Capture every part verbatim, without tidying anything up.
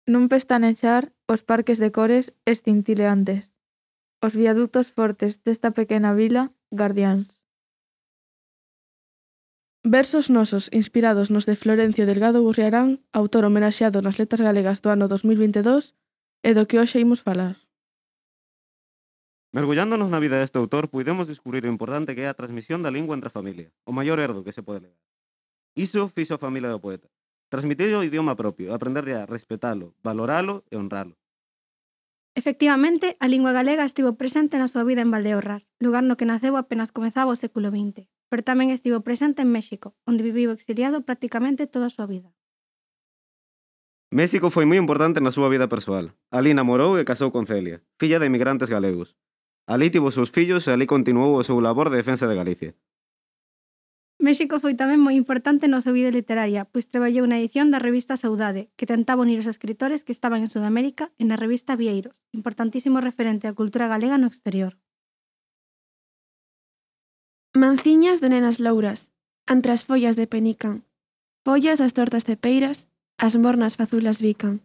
nun pestanexar os parques de cores escintileantes, os viadutos fortes desta pequena vila, gardiáns. Versos nosos inspirados nos de Florencio Delgado Gurriarán, autor homenaxeado nas Letras Galegas do ano dos mil vinte e dous, e do que hoxe imos falar. Mergullándonos na vida deste autor, puidemos descubrir o importante que é a transmisión da lingua entre a familia, o maior herdo que se pode legar. Iso fixo a familia do poeta. Transmitir o idioma propio, aprender a respetalo, valoralo e honralo. Efectivamente, a lingua galega estivo presente na súa vida en Valdeorras, lugar no que naceu apenas comezaba o século vinte, pero tamén estivo presente en México, onde viviu exiliado prácticamente toda a súa vida. México foi moi importante na súa vida persoal. Alí namorou e casou con Celia, filla de emigrantes galegos. Alí tivo os seus fillos e alí continuou o seu labor de defensa de Galicia. México foi tamén moi importante na súa vida literaria, pois traballou na edición da revista Saudade, que tentaba unir os escritores que estaban en Sudamérica e na revista Vieiros, importantísimo referente á cultura galega no exterior. Manciñas de nenas louras, entre as follas de penican, follas das tortas cepeiras, as mornas fazulas bican.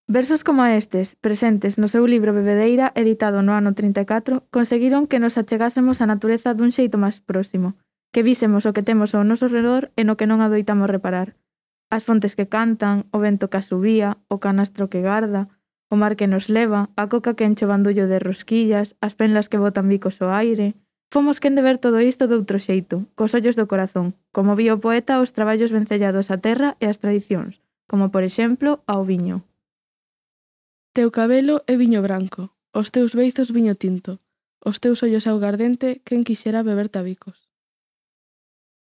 Versos como estes, presentes no seu libro Bebedeira, editado no ano trinta e catro, conseguiron que nos achegásemos á natureza dun xeito máis próximo, que vísemos o que temos ao noso redor e no que non adoitamos reparar. As fontes que cantan, o vento que asubía, o canastro que garda, o mar que nos leva, a coca que enche o bandullo de rosquillas, as penlas que botan bicos ao aire... Fomos quen de ver todo isto doutro xeito, cos ollos do corazón, como vía o poeta os traballos vencellados á terra e ás tradicións, como por exemplo ao viño. Teu cabelo é viño branco, os teus beizos viño tinto, os teus ollos augardente, quen quixera beber tabicos.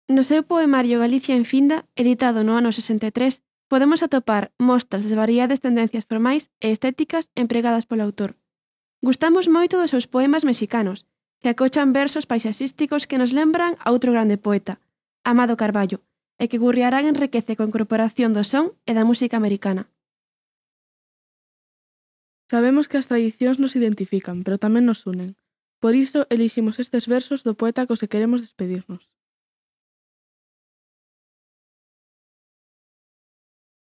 No seu poemario Galicia en Finda, editado no ano sesenta e tres, podemos atopar mostras das variadas tendencias formais e estéticas empregadas polo autor. Gustamos moito dos seus poemas mexicanos, que acochan versos paisaxísticos que nos lembran a outro grande poeta, Amado Carballo, e que Gurriarán enriquece coa incorporación do son e da música americana. Sabemos que as tradicións nos identifican, pero tamén nos unen. Por iso eliximos estes versos do poeta cos que queremos despedirnos.